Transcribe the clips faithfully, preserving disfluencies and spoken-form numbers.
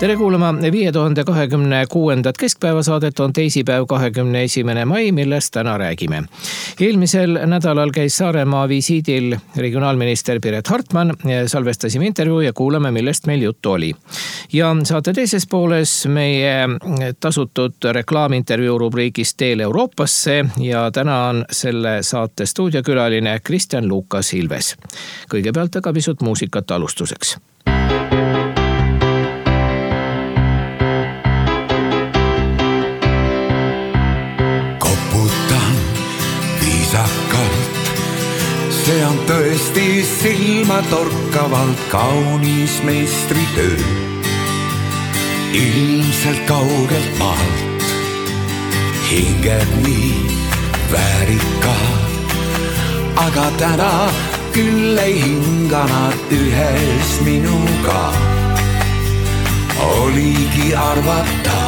Tere kuulama viie tuhande kahekümne kuuendat keskpäevasaadet on teisipäev kahekümne esimene mai, millest täna räägime. Eelmisel nädalal käis Saaremaa visiidil regionaalminister Piret Hartman. Salvestasime intervjuu ja kuulame, millest meil juttu oli. Ja saate teises pooles meie tasutud reklaamintervjuu rubriigist Teel Euroopasse ja täna on selle saate stuudiokülaline Kristjan Lukas Ilves. Kõigepealt aga pisut muusikat alustuseks. See on tõesti silmatorkavalt kaunis meistritöö. Ilmselt kaugelt maalt hinged nii väärikad, aga täna küll ei hinga nad ühes minuga. Oligi arvata,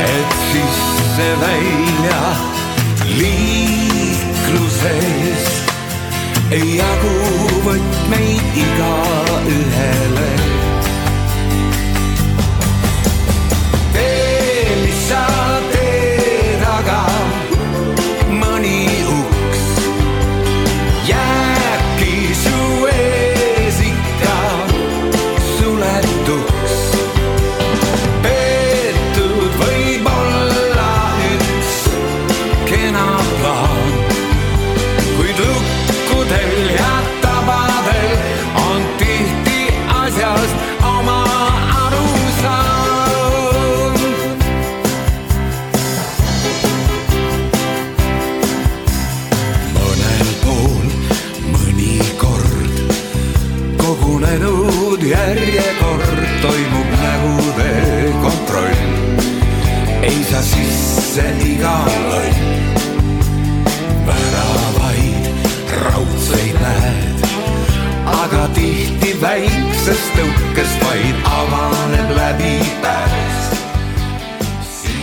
et sisse välja liikluses ei jagu võtmeid iga ühele. Tee, mis sa teed, aga mõni uks jääbki su ees ikka suletuks. Peetud võib olla üks kena plaan, kuid lukkudel ja tabadel on tihti asjast oma arusaam. Mõnel pool mõnikord kogunenud järjekord toimub nägude kontroll. Ei saa sisse iga loll, väravaid raudseid näed, aga tihti väiksest tõukest vaid avaneb läbi pääs.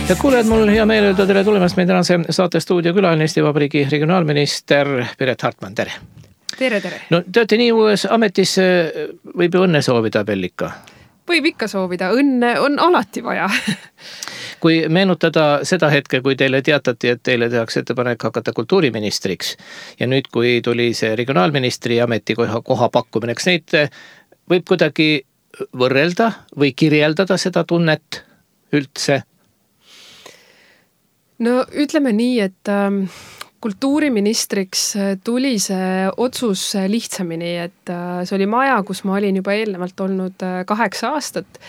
Ja kuulejad, mul hea meel öelda tere tulemast meie tänase saate stuudiokülaline Eesti Vabariigi regionaalminister Piret Hartman, tere! Tere, tere! No te olete nii uues ametis, võib ju õnne soovida Bellika? Võib ikka soovida, õnne on alati vaja. Kui meenutada seda hetke, kui teile teatati, et teile tehakse ettepanek hakata kultuuriministriks ja nüüd, kui tuli see regionaalministri ametikoha koha pakkumine, eks neid võib kuidagi võrrelda või kirjeldada seda tunnet üldse? No ütleme nii, et ähm, kultuuriministriks tuli see otsus lihtsamini, et äh, see oli maja, kus ma olin juba eelnevalt olnud äh, kaheksa aastat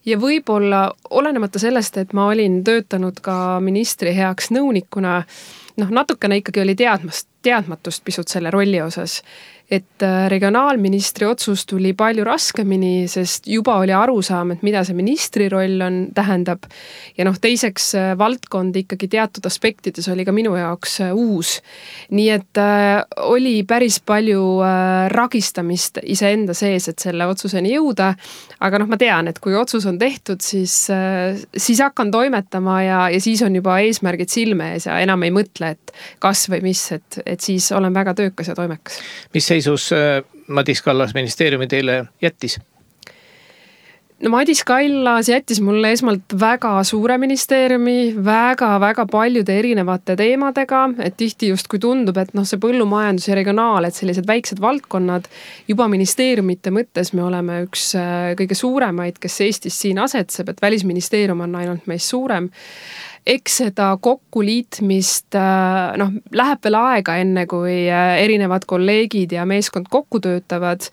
ja võib-olla olenemata sellest, et ma olin töötanud ka ministri heaks nõunikuna, noh natukene ikkagi oli teadmast, teadmatust pisut selle rolli osas. Et regionaalministri otsus tuli palju raskemini, sest juba oli arusaam, et mida see ministri roll on, tähendab. Ja noh, teiseks valdkond ikkagi teatud aspektides oli ka minu jaoks uus. Nii et äh, oli päris palju äh, ragistamist iseenda sees, et selle otsuseni jõuda. Aga noh, ma tean, et kui otsus on tehtud, siis, äh, siis hakkan toimetama ja, ja siis on juba eesmärgid silme ees ja enam ei mõtle, et kas või mis, et, et siis olen väga töökas ja toimekas. Mis seisus Madis Kallas ministeeriumi teile jättis? No Madis Kallas jättis mulle esmalt väga suure ministeeriumi, väga-väga paljude erinevate teemadega, et tihti just kui tundub, et noh, see põllumajandus ja regionaal, et sellised väiksed valdkonnad, juba ministeeriumite mõttes me oleme üks kõige suuremaid, kes Eestis siin asetseb, et välisministeerium on ainult meist suurem. Eks seda kokkuliitmist, noh, läheb veel aega enne, kui erinevad kolleegid ja meeskond kokku töötavad,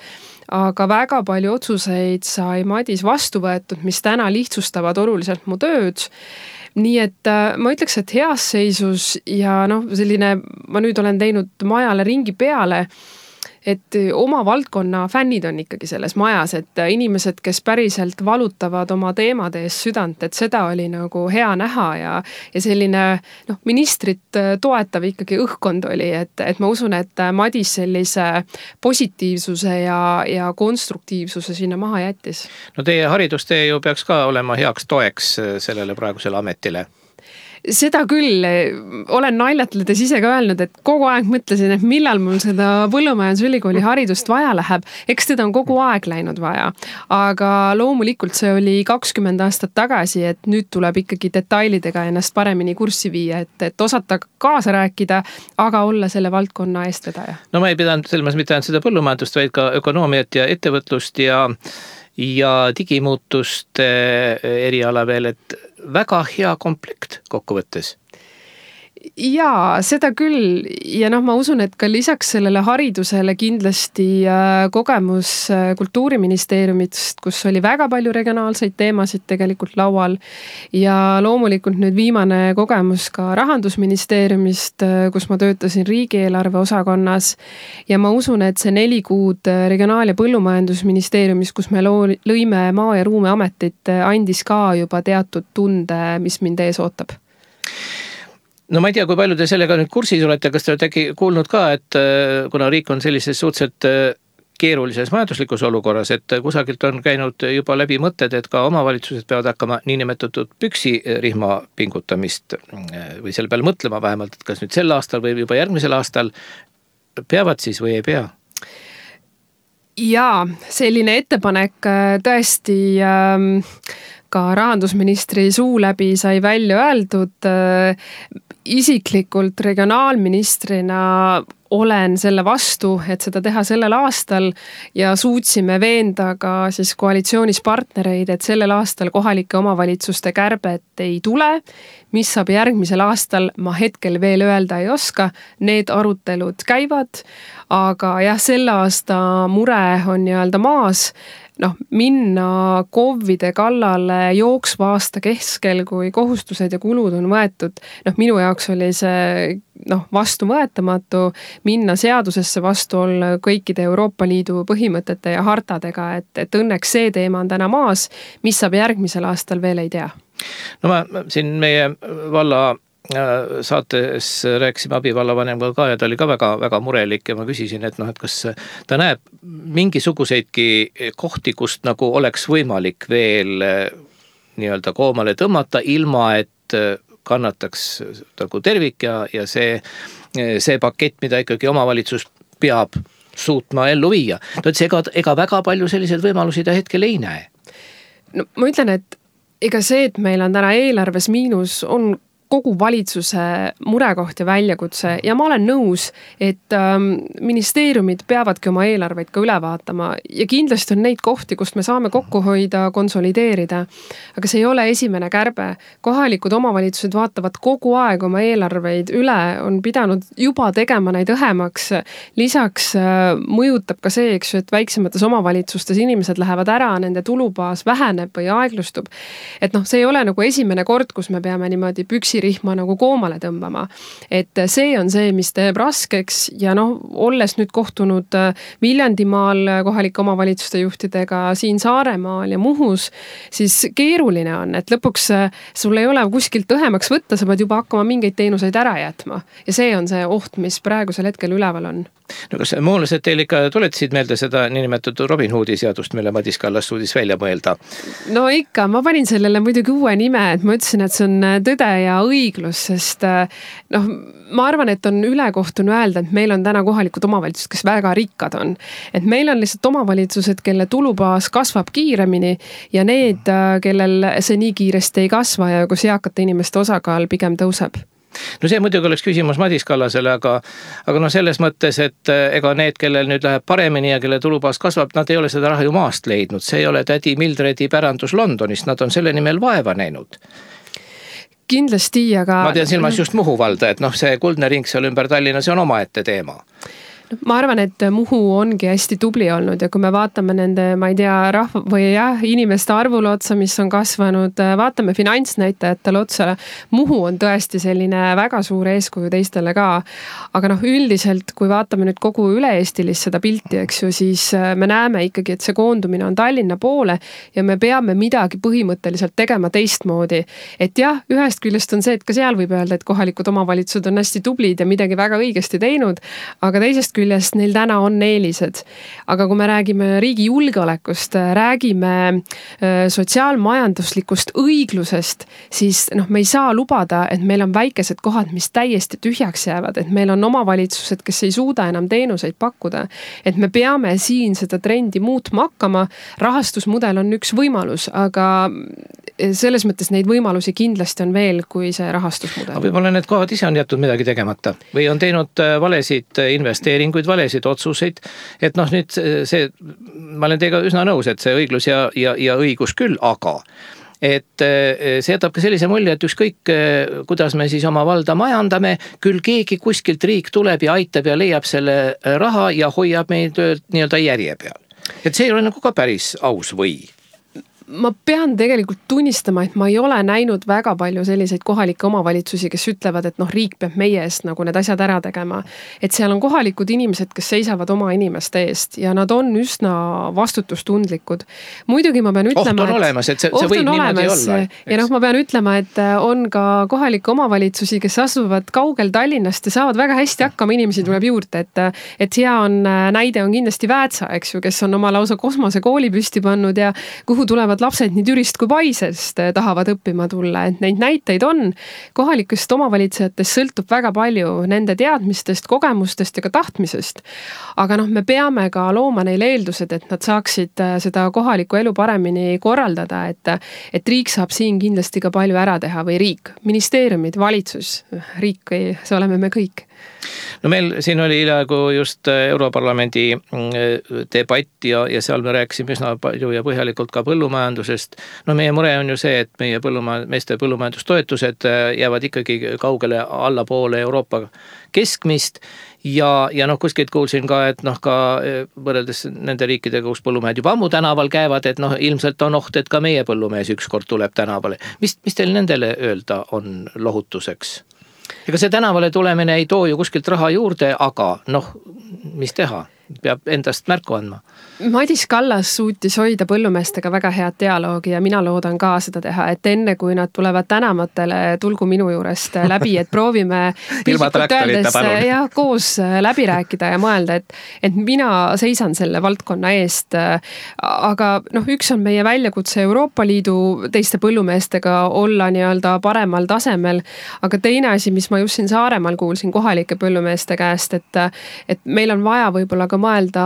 aga väga palju otsuseid sai Madis vastu võetud, mis täna lihtsustavad oluliselt mu tööd. Nii et ma ütleks, et heas seisus ja noh, selline, ma nüüd olen teinud majale ringi peale, et oma valdkonna fännid on ikkagi selles majas, et inimesed, kes päriselt valutavad oma teemade ees südant, et seda oli nagu hea näha ja, ja selline noh, ministrit toetav ikkagi õhkkond oli, et, et ma usun, et Madis sellise positiivsuse ja, ja konstruktiivsuse sinna maha jättis. No teie haridustee ju peaks ka olema heaks toeks sellele praegusele ametile. Seda küll, olen naljatledes ise ka öelnud, et kogu aeg mõtlesin, et millal mul seda Põllumajandusülikooli haridust vaja läheb. Eks teda on kogu aeg läinud vaja. Aga loomulikult see oli kakskümmend aastat tagasi, et nüüd tuleb ikkagi detailidega ennast paremini kurssi viia, et, et osata kaasa rääkida, aga olla selle valdkonna eestvedaja. No ma ei pidanud selles mitte ainult seda põllumajandust, vaid ka ökonoomiat ja ettevõtlust ja, ja digimuutuste eriala veel, et väga hea komplekt kokkuvõttes. Jaa, seda küll ja noh, ma usun, et ka lisaks sellele haridusele kindlasti kogemus Kultuuriministeeriumist, kus oli väga palju regionaalseid teemasid tegelikult laual ja loomulikult nüüd viimane kogemus ka Rahandusministeeriumist, kus ma töötasin riigieelarve osakonnas ja ma usun, et see neli kuud Regionaal- ja Põllumajandusministeeriumis, kus me lõime Maa- ja Ruumiametit, andis ka juba teatud tunde, mis mind ees ootab. No ma ei tea, kui palju te sellega nüüd kursis olete, kas te olete äkki kuulnud ka, et kuna riik on sellises suhteliselt keerulises majanduslikus olukorras, et kusagilt on käinud juba läbi mõtted, et ka omavalitsused peavad hakkama niinimetatud püksirihma pingutamist või selle peale mõtlema vähemalt, et kas nüüd sel aastal või juba järgmisel aastal peavad siis või ei pea? Jaa, selline ettepanek tõesti ähm, ka rahandusministri suu läbi sai välja öeldud. Isiklikult regionaalministrina olen selle vastu, et seda teha sellel aastal ja suutsime veenda ka siis koalitsioonis partnereid, et sellel aastal kohalike omavalitsuste kärbet ei tule. Mis saab järgmisel aastal, ma hetkel veel öelda ei oska, need arutelud käivad, aga jah, selle aasta mure on nii-öelda maas. Noh, minna KOV-ide kallale jooksva aasta keskel, kui kohustused ja kulud on võetud. Noh, minu jaoks oli see noh, vastuvõetamatu minna seadusesse vastu olla kõikide Euroopa Liidu põhimõtete ja hartadega, et, et õnneks see teema on täna maas, mis saab järgmisel aastal veel ei tea. No ma siin meie valla saates rääkisime abivallavanemga ka ja ta oli ka väga, väga murelik ja ma küsisin, et noh, et kas ta näeb mingisuguseidki kohti, kust nagu oleks võimalik veel nii-öelda koomale tõmmata, ilma et kannataks nagu tervik ja, ja see, see pakett, mida ikkagi omavalitsus peab suutma ellu viia. No, et see ega, ega väga palju selliseid võimalusi ta hetkel ei näe. No ma ütlen, et ega see, et meil on täna eelarves miinus, on kogu valitsuse murekoht ja väljakutse ja ma olen nõus, et ähm, ministeeriumid peavadki oma eelarveid ka üle vaatama ja kindlasti on neid kohti, kust me saame kokku hoida, konsolideerida. Aga see ei ole esimene kärbe. Kohalikud omavalitsused vaatavad kogu aeg oma eelarveid üle, on pidanud juba tegema neid õhemaks. Lisaks äh, mõjutab ka see, eks ju, et väiksemates omavalitsustes inimesed lähevad ära, nende tulubaas väheneb või aeglustub. Et noh, see ei ole nagu esimene kord, kus me peame niimoodi püksi rihma nagu koomale tõmbama. Et see on see, mis teeb raskeks ja noh, olles nüüd kohtunud Viljandimaal kohalike omavalitsuste juhtidega, siin Saaremaal ja Muhus, siis keeruline on, et lõpuks sul ei ole kuskilt õhemaks võtta, sa pead juba hakkama mingeid teenuseid ära jätma. Ja see on see oht, mis praegusel hetkel üleval on. No kas muulased teil ikka tuletasid meelde seda niinimetatud Robin Hoodi seadust, mille Madis Kallas suudis välja mõelda? No ikka, ma panin sellele muidugi uue nime, et ma ütlesin, et see on tõde ja õiglus, sest noh, ma arvan, et on ülekohtune öelda, et meil on täna kohalikud omavalitsused, kes väga rikkad on. Et meil on lihtsalt omavalitsused, kelle tulubaas kasvab kiiremini ja need, kellel see nii kiiresti ei kasva ja kus eakate inimeste osakaal pigem tõuseb. No see muidugi oleks küsimus Madis Kallasele, aga, aga no selles mõttes, et ega need, kellel nüüd läheb paremini ja kelle tulubaas kasvab, nad ei ole seda raha ju maast leidnud. See ei ole tädi Mildredi pärandus Londonist, nad on selle nimel vaeva näinud. Kindlasti, aga... Ma tean silmas just Muhu valda, et noh, see kuldne ring seal ümber Tallinna, see on omaette teema. Ma arvan, et Muhu ongi hästi tubli olnud ja kui me vaatame nende, ma ei tea, rahva või jah, inimeste arvule otsa, mis on kasvanud, vaatame finantsnäitajatele otsa. Muhu on tõesti selline väga suur eeskuju teistele ka. Aga noh, üldiselt, kui vaatame nüüd kogu üle-eestilist seda pilti, eks ju, siis me näeme ikkagi, et see koondumine on Tallinna poole ja me peame midagi põhimõtteliselt tegema teistmoodi. Et jah, ühest küljest on see, et ka seal võib öelda, et kohalikud omavalitsused on hästi tublid ja midagi väga õigesti teinud, aga teisest küljest küljest neil täna on eelised. Aga kui me räägime riigi julgeolekust, räägime sotsiaalmajanduslikust õiglusest, siis noh, me ei saa lubada, et meil on väikesed kohad, mis täiesti tühjaks jäävad, et meil on omavalitsused, kes ei suuda enam teenuseid pakkuda. Et me peame siin seda trendi muutma hakkama. Rahastusmudel on üks võimalus, aga selles mõttes neid võimalusi kindlasti on veel kui see rahastusmudel. Võib-olla need kohad ise on jätud midagi tegemata või on teinud valesid investeeringuid, valesid otsuseid, et noh, nüüd see, ma olen teiega üsna nõus, et see õiglus ja, ja, ja õigus küll, aga et see jätab ka sellise mulje, et ükskõik, kuidas me siis oma valda majandame, küll keegi kuskilt riik tuleb ja aitab ja leiab selle raha ja hoiab meid nii-öelda järje peal. Et see ei ole nagu ka päris aus või? Ma pean tegelikult tunnistama, et ma ei ole näinud väga palju selliseid kohalikke omavalitsusi, kes ütlevad, et noh, riik peab meie eest nagu need asjad ära tegema. Et seal on kohalikud inimesed, kes seisavad oma inimeste eest ja nad on üsna vastutustundlikud. Muidugi ma pean ütlema, oht on olemas, et see, see võib niimoodi olla. Ja noh, ma pean ütlema, et on ka kohalikke omavalitsusi, kes asuvad kaugel Tallinnast ja saavad väga hästi hakkama, inimesi tuleb juurde, et, et hea on, näide on kindlasti Väätsa, eks ju, kes on oma lausa kosmose kooli püsti pannud ja kuhu tulevad lapsed nii Türist kui Paisest tahavad õppima tulla, et neid näiteid on. Kohalikest omavalitsejatest sõltub väga palju nende teadmistest, kogemustest ja ka tahtmisest. Aga noh, me peame ka looma neile eeldused, et nad saaksid seda kohalikku elu paremini korraldada, et, et riik saab siin kindlasti ka palju ära teha või riik, ministeeriumid, valitsus, riik, see oleme me kõik. No meil siin oli hiljaaegu just Europarlamendi debatt ja, ja seal me rääkisime üsna palju ja põhjalikult ka põllumajandusest. No meie mure on ju see, et meie põllumajand, meeste põllumajandustoetused jäävad ikkagi kaugele allapoole Euroopa keskmist ja, ja noh, kuskilt kuulsin ka, et noh, ka võrreldes nende riikidega, kus põllumehed juba ammu tänaval käivad, et noh, ilmselt on oht, et ka meie põllumees ükskord tuleb tänavale. Mis, mis teil nendele öelda on lohutuseks? Ega see tänavale tulemine ei too ju kuskilt raha juurde, aga noh, mis teha? Peab endast märku andma. Madis Kallas suutis hoida põllumeestega väga head dialoogi ja mina loodan ka seda teha, et enne kui nad tulevad tänamatele, tulgu minu juurest läbi, et proovime ilma traktorita palun. Ja koos läbi rääkida ja mõelda, et, et mina seisan selle valdkonna eest. Aga noh, üks on meie väljakutse Euroopa Liidu teiste põllumeestega olla nii-öelda paremal tasemel, aga teine asi, mis ma just siin Saaremaal kuulsin kohalike põllumeeste käest, et, et meil on vaja võib-olla ka mõelda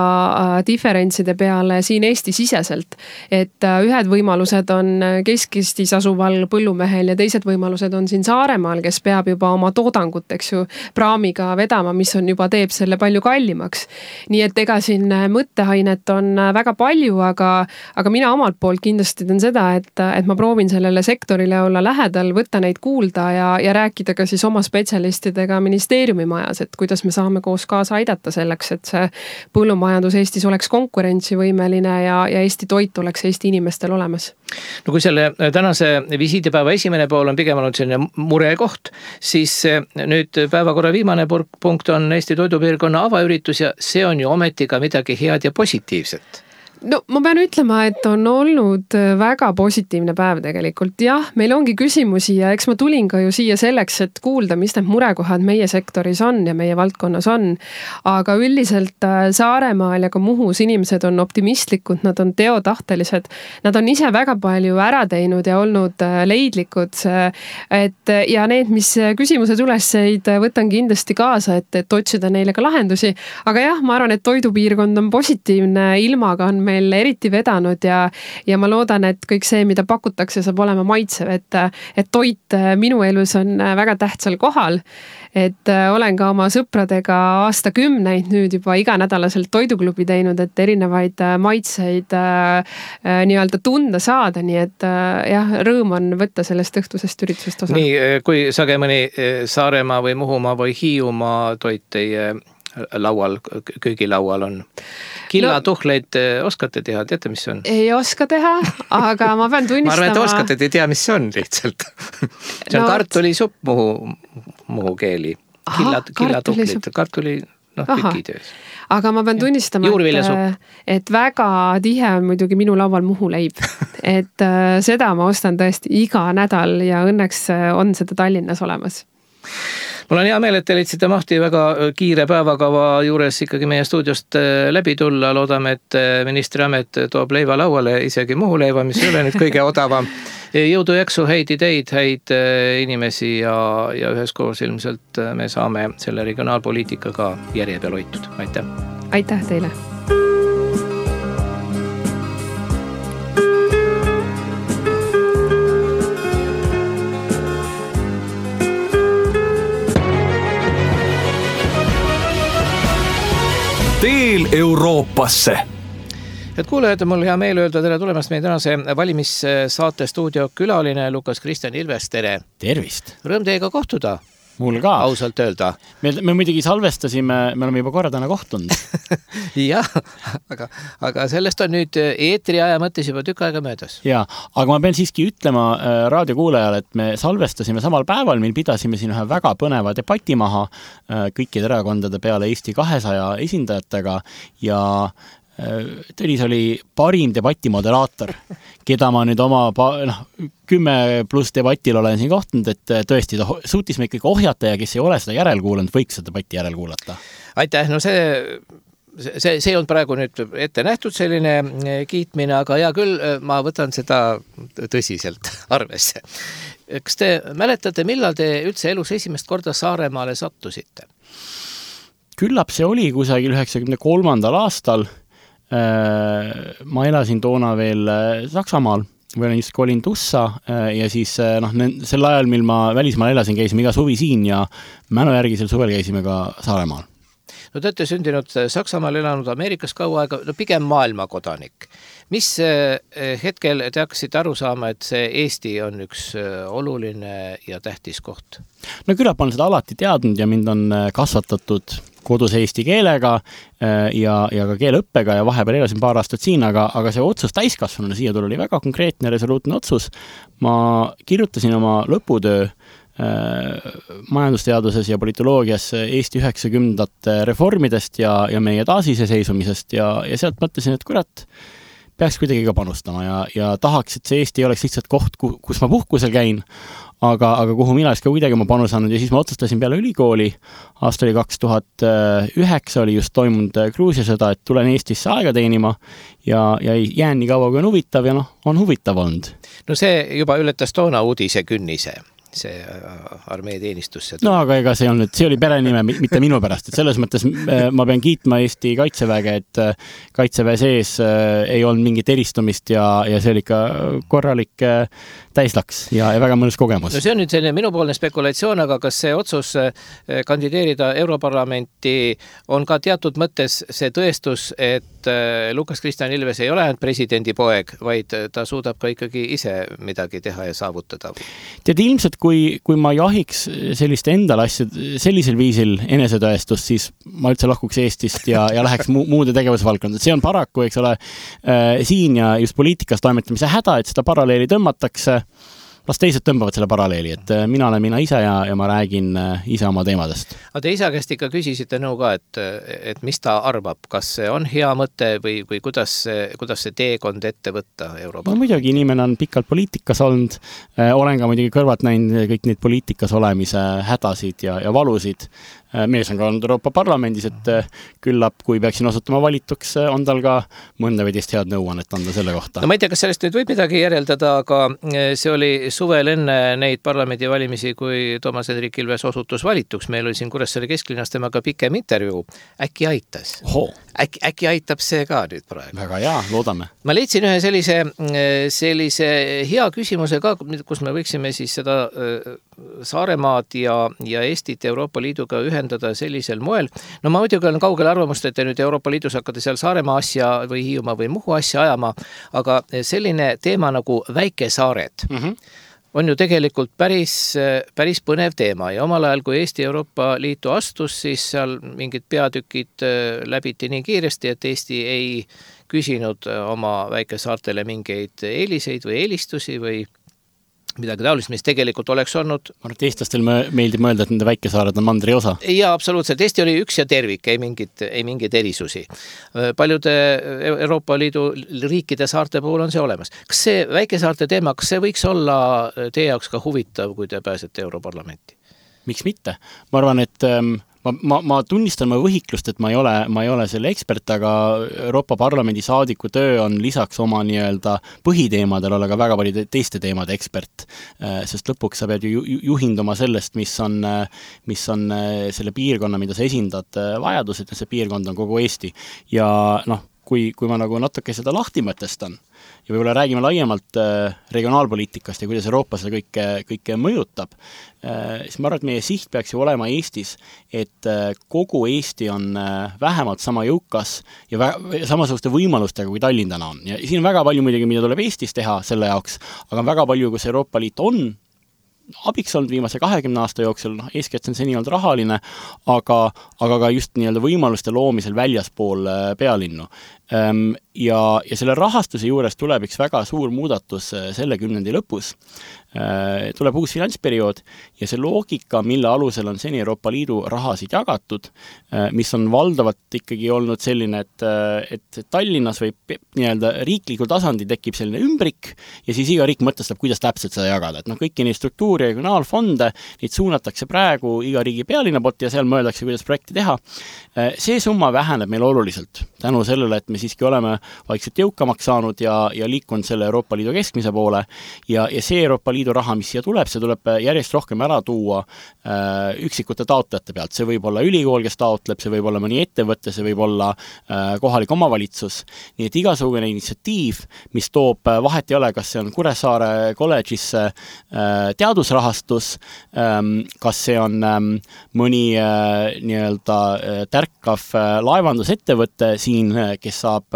diferentside peale siin Eesti siseselt. Et ühed võimalused on Kesk-Eestis asuval põllumehel ja teised võimalused on siin Saaremaal, kes peab juba oma toodangut, eks ju, praamiga vedama, mis on juba teeb selle palju kallimaks. Nii et ega siin mõtteainet on väga palju, aga, aga mina omalt poolt kindlasti teen seda, et, et ma proovin sellele sektorile olla lähedal, võtta neid kuulda ja, ja rääkida ka siis oma spetsialistidega ministeeriumi majas, et kuidas me saame koos kaasa aidata selleks, et see põllumajandus Eestis oleks konkurentsivõimeline ja, ja Eesti toit oleks Eesti inimestel olemas. No kui selle tänase visiidipäeva esimene pool on pigem olnud selline murekoht, siis nüüd päevakorra viimane punkt on Eesti toidupiirkonna avaüritus ja see on ju ometi ka midagi head ja positiivset. No ma pean ütlema, et on olnud väga positiivne päev tegelikult. Jah, meil ongi küsimusi ja eks ma tulin ka ju siia selleks, et kuulda, mis need murekohad meie sektoris on ja meie valdkonnas on. Aga üldiselt Saaremaal ja ka Muhus inimesed on optimistlikud, nad on teotahtelised. Nad on ise väga palju ära teinud ja olnud leidlikud. Et, ja need, mis küsimused ülesseid, võtan kindlasti kaasa, et, et otsida neile ka lahendusi. Aga jah, ma arvan, et toidupiirkond on positiivne, ilmaga on meil eriti vedanud ja, ja ma loodan, et kõik see, mida pakutakse, saab olema maitsev, et, et toit minu elus on väga tähtsal kohal. Et olen ka oma sõpradega aastakümneid nüüd juba iganädalaselt toiduklubi teinud, et erinevaid maitseid nii-öelda tunda saada, nii et jah, rõõm on võtta sellest õhtusest üritusest osa. Nii, kui sage mõni Saaremaa või Muhumaa või Hiiumaa toit teie laual, köögilaual on. Killatuhleid no, oskate teha, teate, mis see on? Ei oska teha, aga ma pean tunnistama... ma arvan, et oskate, te ei tea, mis see on lihtsalt. See on no, kartulisupp muhu, muhu keeli. Killat, killatuhlid, kartuli, noh, tükitöös. Aga ma pean tunnistama, et, et väga tihe on muidugi minu laual muhuleib. Et seda ma ostan tõesti iga nädal ja õnneks on seda Tallinnas olemas. Mul on hea meel, et te leidsite mahti väga kiire päevakava juures ikkagi meie stuudiost läbi tulla. Loodame, et ministri amet toob leiva lauale, isegi Muhu leiva, mis ei ole nüüd kõige odavam. Jõudu jaksu, häid ideid, häid inimesi ja, ja üheskoos ilmselt me saame selle regionaalpoliitikaga järje peal hoitud. Aitäh! Aitäh teile! Teel Euroopasse. Et kuulajad, mul hea meel öelda tere tulemast meie tänase valimissaate stuudio külaline Lukas Kristjan Ilves, tere! Tervist! Rõõm teiega kohtuda. Mul ka. Ausalt öelda. Me, me muidugi salvestasime, me oleme juba korra täna kohtunud. jah, aga, aga sellest on nüüd eetri aja mõttes juba tükk aega möödas. Ja, aga ma pean siiski ütlema äh, raadiokuulajale, et me salvestasime samal päeval, mil pidasime siin ühe väga põneva debati maha äh, kõikide erakondade peale Eesti kahesaja esindajatega ja Tõnis oli parim debati moderaator, keda ma nüüd oma noh, kümme pluss debatil olen siin kohtunud, et tõesti ta suutis me ikkagi ohjata ja kes ei ole seda järelkuulanud, võiks seda debati järelkuulata. Aitäh, no see, see, see on praegu nüüd ette nähtud selline kiitmine, aga hea küll, ma võtan seda tõsiselt arvesse. Kas te mäletate, millal te üldse elus esimest korda Saaremaale sattusite? Küllap see oli kusagil üheksakümne kolmandal aastal. Ma elasin toona veel Saksamaal, või olen just kolin Tussa ja siis noh, sel ajal, mil ma välismaal elasin, käisime iga suvi siin ja mälu järgi sel suvel käisime ka Saaremaal. No te olete sündinud Saksamaal, elanud Ameerikas kaua aega, no pigem maailmakodanik. Mis hetkel te hakkasite aru saama, et see Eesti on üks oluline ja tähtis koht? No küllap on seda alati teadnud ja mind on kasvatatud kodus eesti keelega ja, ja ka keeleõppega ja vahepeal elasin paar aastat siin, aga, aga see otsus täiskasvanuna siia tuli oli väga konkreetne resoluutne otsus. Ma kirjutasin oma lõputöö äh, majandusteaduses ja politoloogias Eesti üheksakümnendate reformidest ja, ja meie taasiseseisumisest ja, ja sealt mõtlesin, et kurat, peaks kuidagi ka panustama ja, ja tahaks, et see Eesti oleks lihtsalt koht, kus ma puhkusel käin, aga, aga kuhu mina ka kuidagi ma panusanud ja siis ma otsustasin peale ülikooli, aasta oli kaks tuhat üheksa oli just toimunud Gruusia sõda, et tulen Eestisse aega teenima ja, ja jään nii kaua, kui on huvitav ja noh, on huvitav olnud. No see juba ületas toona uudise künnise. See armee teenistus. No aga ega see on nüüd, see oli perenime, mitte minu pärast, et selles mõttes ma pean kiitma Eesti kaitseväge, et kaitseväe sees ei olnud mingit eristumist ja, ja see oli ikka korralik täislaks ja, ja väga mõnus kogemus. No see on nüüd selline minupoolne spekulatsioon, aga kas see otsus kandideerida Europarlamenti on ka teatud mõttes see tõestus, et Lukas Kristjan Ilves ei ole ainult presidendi poeg, vaid ta suudab ka ikkagi ise midagi teha ja saavutada? Tead, ilmselt kui, kui ma jahiks sellist endal asja sellisel viisil enesetõestust, siis ma üldse lahkuks Eestist ja, ja läheks mu, muude tegevusvaldkonda. See on paraku, eks ole, äh, siin ja just poliitikas toimetamise häda, et seda paralleeli tõmmatakse. Las teised tõmbavad selle paralleeli, et mina olen mina ise ja, ja ma räägin ise oma teemadest. Aga te isa käest ikka küsisite nõu ka, et, et mis ta arvab, kas see on hea mõte või, või kuidas, kuidas see teekond ette võtta Euroopa? No muidugi inimene on pikalt poliitikas olnud, olen ka muidugi kõrvalt näinud kõik neid poliitikas olemise hädasid ja, ja valusid. Mees on ka olnud Euroopa Parlamendis, et küllap, kui peaksin osutama valituks, on tal ka mõnda või teist head nõuannet anda selle kohta. No ma ei tea, kas sellest nüüd võib midagi järeldada, aga see oli suvel enne neid parlamendi valimisi, kui Toomas Hendrik Ilves osutus valituks. Meil oli siin Kuressaare kesklinnas temaga pikem intervjuu. Äkki aitas? Äkki, äkki aitab see ka nüüd praegu? Väga hea, loodame. Ma leidsin ühe sellise, sellise hea küsimuse ka, kus me võiksime siis seda Saaremaad ja, ja Eestit Euroopa Liiduga ühendada sellisel moel. No ma muidugi olen kaugel arvamust, et te nüüd Euroopa Liidus hakkate seal Saaremaa asja või Hiiumaa või Muhu asja ajama, aga selline teema nagu väikesaared mm-hmm. on ju tegelikult päris, päris põnev teema ja omal ajal, kui Eesti Euroopa Liitu astus, siis seal mingid peatükid läbiti nii kiiresti, et Eesti ei küsinud oma väikesaartele mingeid eeliseid või eelistusi või midagi taolist, mis tegelikult oleks olnud. Eestlastel meeldib mõelda, et nende väikesaared on mandri osa. Ja absoluutselt. Eesti oli üks ja tervik, ei mingid, ei mingid erisusi. Paljude Euroopa Liidu riikide saarte puhul on see olemas. Kas see väikesaarte teema, kas see võiks olla teie jaoks ka huvitav, kui te pääsete Europarlamenti? miks mitte? Ma arvan, et ähm, ma, ma, ma tunnistan ma võhiklust, et ma ei ole, ma ei ole selle ekspert, aga Euroopa Parlamendi saadiku töö on lisaks oma nii-öelda põhiteemadel olla ka väga palju teiste teemade ekspert, sest lõpuks sa pead ju juhinduma sellest, mis on, mis on selle piirkonna, mida sa esindad vajadused, ja see piirkond on kogu Eesti. Ja noh, kui, kui ma nagu natuke seda lahti mõtestan, ja võib-olla räägime laiemalt regionaalpoliitikast ja kuidas Euroopa seda kõike, kõike mõjutab, siis ma arvan, et meie siht peaks ju olema Eestis, et kogu Eesti on vähemalt sama jõukas ja vä- samasuguste võimalustega, kui Tallinn täna on. Ja siin on väga palju muidugi, mida tuleb Eestis teha selle jaoks, aga on väga palju, kus Euroopa Liit on abiks olnud viimase kahekümne aasta jooksul, noh, eeskätt on see nii olnud rahaline, aga, aga ka just nii-öelda võimaluste loomisel väljaspool pealinnu. Ja, ja selle rahastuse juures tuleb üks väga suur muudatus selle kümnendi lõpus. Tuleb uus finantsperiood ja see loogika, mille alusel on seni Euroopa Liidu rahasid jagatud, mis on valdavalt ikkagi olnud selline, et, et Tallinnas või nii-öelda riiklikul tasandil tekib selline ümbrik ja siis iga riik mõtestab, kuidas täpselt seda jagada. Et noh, kõiki neid struktuuri ja regionaalfonde, neid suunatakse praegu iga riigi pealinna poolt ja seal mõeldakse, kuidas projekti teha. See summa väheneb meil oluliselt tänu sellele, et me siiski oleme vaikselt jõukamaks saanud ja, ja liikunud selle Euroopa Liidu keskmise poole ja, ja see Euroopa Liidu raha, mis siia tuleb, see tuleb järjest rohkem ära tuua äh, üksikute taotlejate pealt. See võib olla ülikool, kes taotleb, see võib olla mõni ettevõte, see võib olla äh, kohalik omavalitsus. Nii et igasugune initsiatiiv, mis toob, vahet ei ole, kas see on Kuressaare kolledžisse äh, teadusrahastus, ähm, kas see on ähm, mõni äh, nii-öelda äh, tärkav äh, laevandusettevõte siin, kes saab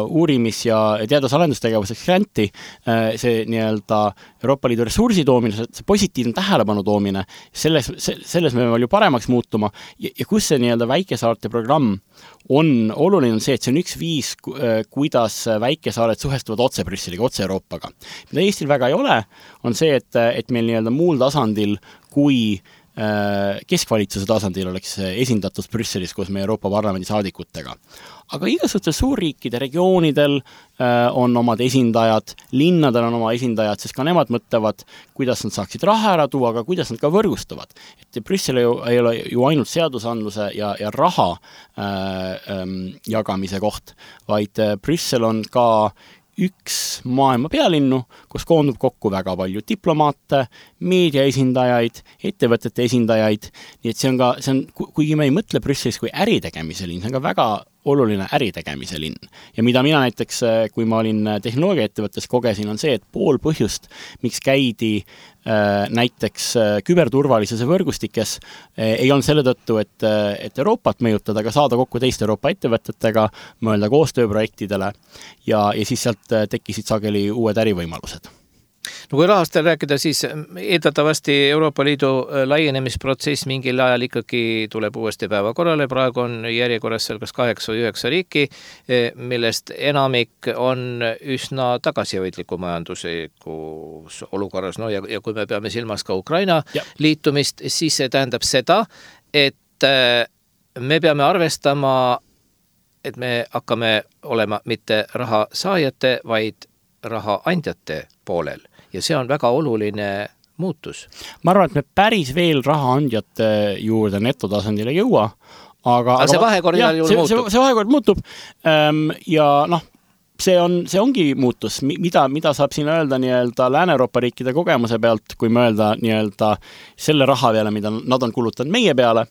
uurimis- ja teadus-arendustegevuseks granti, see nii-öelda Euroopa Liidu ressursi toomine, see positiivne tähelepanu toomine, selles, selles me palju paremaks muutuma ja, ja kus see nii-öelda väikesaarte programm on oluline, on see, et see on üks viis, kuidas väikesaared suhestuvad otse Brüsseliga, otse Euroopaga. Mida Eestil väga ei ole, on see, et, et meil nii-öelda muul tasandil, kui keskvalitsuse tasandil oleks esindatus Brüsselis koos meie Euroopa Parlamendi saadikutega. Aga igasugustel suurriikide regioonidel on omad esindajad, linnadel on oma esindajad, sest ka nemad mõtlevad, kuidas nad saaksid raha ära tuua, aga kuidas nad ka võrgustuvad. Et Brüssel ei ole ju ainult seadusandluse ja, ja raha äh, jagamise koht, vaid Brüssel on ka üks maailma pealinnu, kus koondub kokku väga palju diplomaate, meedia esindajaid, ettevõtete esindajaid, nii et see on ka, see on, kuigi me ei mõtle Brüsselis kui äritegemise linn, see on ka väga oluline äritegemise linn. Ja mida mina näiteks, kui ma olin tehnoloogiaettevõttes kogesin, on see, et pool põhjust, miks käidi äh, näiteks äh, küberturvalisuse võrgustikes, äh, ei on selle tõttu, et, et Euroopat mõjutada, aga saada kokku teiste Euroopa ettevõtetega, mõelda koostööprojektidele ja, ja siis sealt tekkisid sageli uued ärivõimalused. No kui rahast rääkida, siis eeldatavasti Euroopa Liidu laienemisprotsess mingil ajal ikkagi tuleb uuesti päevakorrale. Praegu on järjekorras seal kas kaheksa või üheksa riiki, millest enamik on üsna tagasihoidliku majanduslikus olukorras. No ja, ja kui me peame silmas ka Ukraina ja. liitumist, siis see tähendab seda, et me peame arvestama, et me hakkame olema mitte raha saajate, vaid raha andjate poolel. Ja see on väga oluline muutus. Ma arvan, et me päris veel raha andjate juurde netotasandile ei jõua, aga, aga see vahekord jah, juurde see, muutub. See, see vahekord muutub ja noh, see on, see ongi muutus, mida, mida saab siin öelda nii-öelda Lääne-Euroopa riikide kogemuse pealt, kui mõelda nii-öelda selle raha peale, mida nad on kulutanud meie peale,